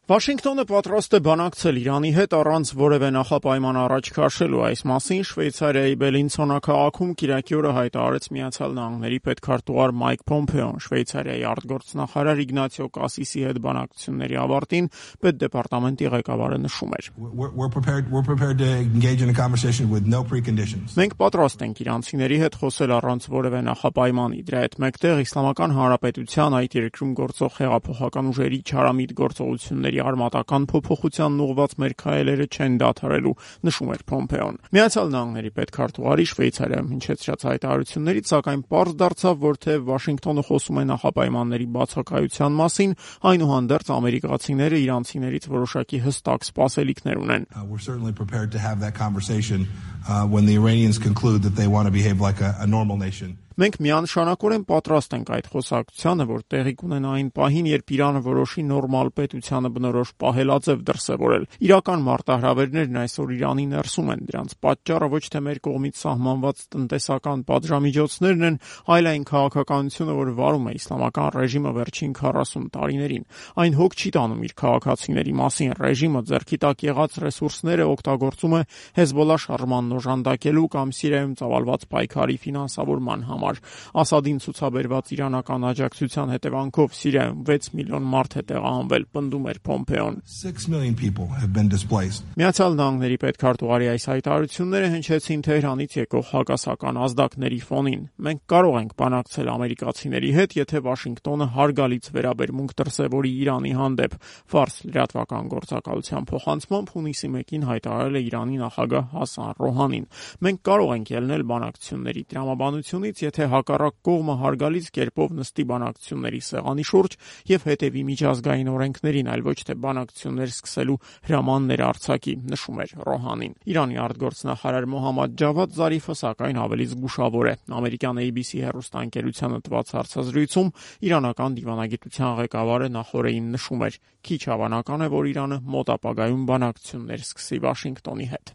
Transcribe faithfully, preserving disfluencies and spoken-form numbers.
Վաշինգտոնը պատրաստ է բանակցել Իրանի հետ առանց որևէ նախապայման առաջ քաշելու։ Այս մասին Շվեյցարիայի Բելինցոնա քաղաքում կիրակի օրը հայտարարեց Միացյալ Նահանգների պետքարտուղար Մայք Փոմփեոն։ Շվեյցարիայի արտգործնախարար Իգնացիո Կասիսի հետ բանակցությունների ավարտին պետդեպարտամենտի ղեկավարը նշում էր. Մենք պատրաստ ենք իրանցիների հետ խոսել առանց որևէ նախապայմանի։ Դրա հետ մեկտեղ Իսլամական Հանրապետության այդ երկրում գործող հեղափոխական ուժերի չարամիտ գործողությունների արմատական փոփոխությանն ուղղված մեր քայլերը չեն դադարելու, նշում էր Փոմփեոն։ Միացյալ Նահանգների պետքարտուղարի Շվեյցարիայում հնչեցրած հայտարարություններից սակայն պարզ դարձավ, որ թե Վաշինգտոնը խոսում է նախապայմանների բացակայության մասին, այնուհանդերձ ամերիկացիները իրանցիներից որոշակի հստակ սպասելիքներ ունեն։ Մենք միանշանակորեն պատրաստ ենք այդ խոսակցությանը, որ տեղի կունենա այն պահին, երբ Իրանը որոշի նորմալ պետությանը բնորոշ պահելաձև դրսևորել։ Իրական մարտահրավերներն այսօր Իրանի ներսում են, դրանց պատճառը ոչ թե մեր կողմից սահմանված տնտեսական պատժամիջոցներն են, այլ այն քաղաքականությունը, որ վարում է իսլամական ռեժիմը վերջին քառասուն տարիներին։ Այն հոգ չի տանում իր քաղաքացիների մասին, ռեժիմը ձեռքի տակ եղած ռեսուրսները օգտագործում է Հեզբոլլա շարժմանն օժանդակելու կամ Սիրիայում ծավալված պայքարի ֆինանսավորման համար։ Ասադին ցուցաբերված իրանական աջակցության հետևանքով Սիրիայում վեց միլիոն մարդ է տեղահանվել, պնդում էր Փոմփեոն։ Միացյալ Նահանգների պետքարտուղարի այս հայտարարությունները հնչեցին Թեհրանից եկող հակասական ազդակների ֆոնին։ Մենք կարող ենք բանակցել ամերիկացիների հետ, եթե Վաշինգտոնը հարգալից վերաբերմունք դրսևորի Իրանի հանդեպ, ֆարս լրատվական գործակալության փոխանցմամբ հունիսի մեկին հայտարարել է Իրանի նախագահ Հասան Ռոհանին։ Մենք կարող ենք ելնել բանակցությունների տրամաբանությունից, եթե հակառակ կողմը հարգալից կերպով նստի բանակցությունների սեղանի շուրջ եւ հետեւի միջազգային օրենքներին, այլ ոչ թե բանակցություններ սկսելու հրամաններ արձակի, նշում էր Ռոհանին։ Իրանի արտգործնախարար Մոհամմադ Ջավադ Զարիֆը սակայն ավելի զգուշավոր է։ Ամերիկյան A B C հեռուստաընկերությանը տված հարցազրույցում իրանական դիվանագիտության ղեկավարը նախորդին նշում էր. քիչ հավանական է, որ Իրանը մոտ ապագայում բանակցություններ սկսի Վաշինգտոնի հետ։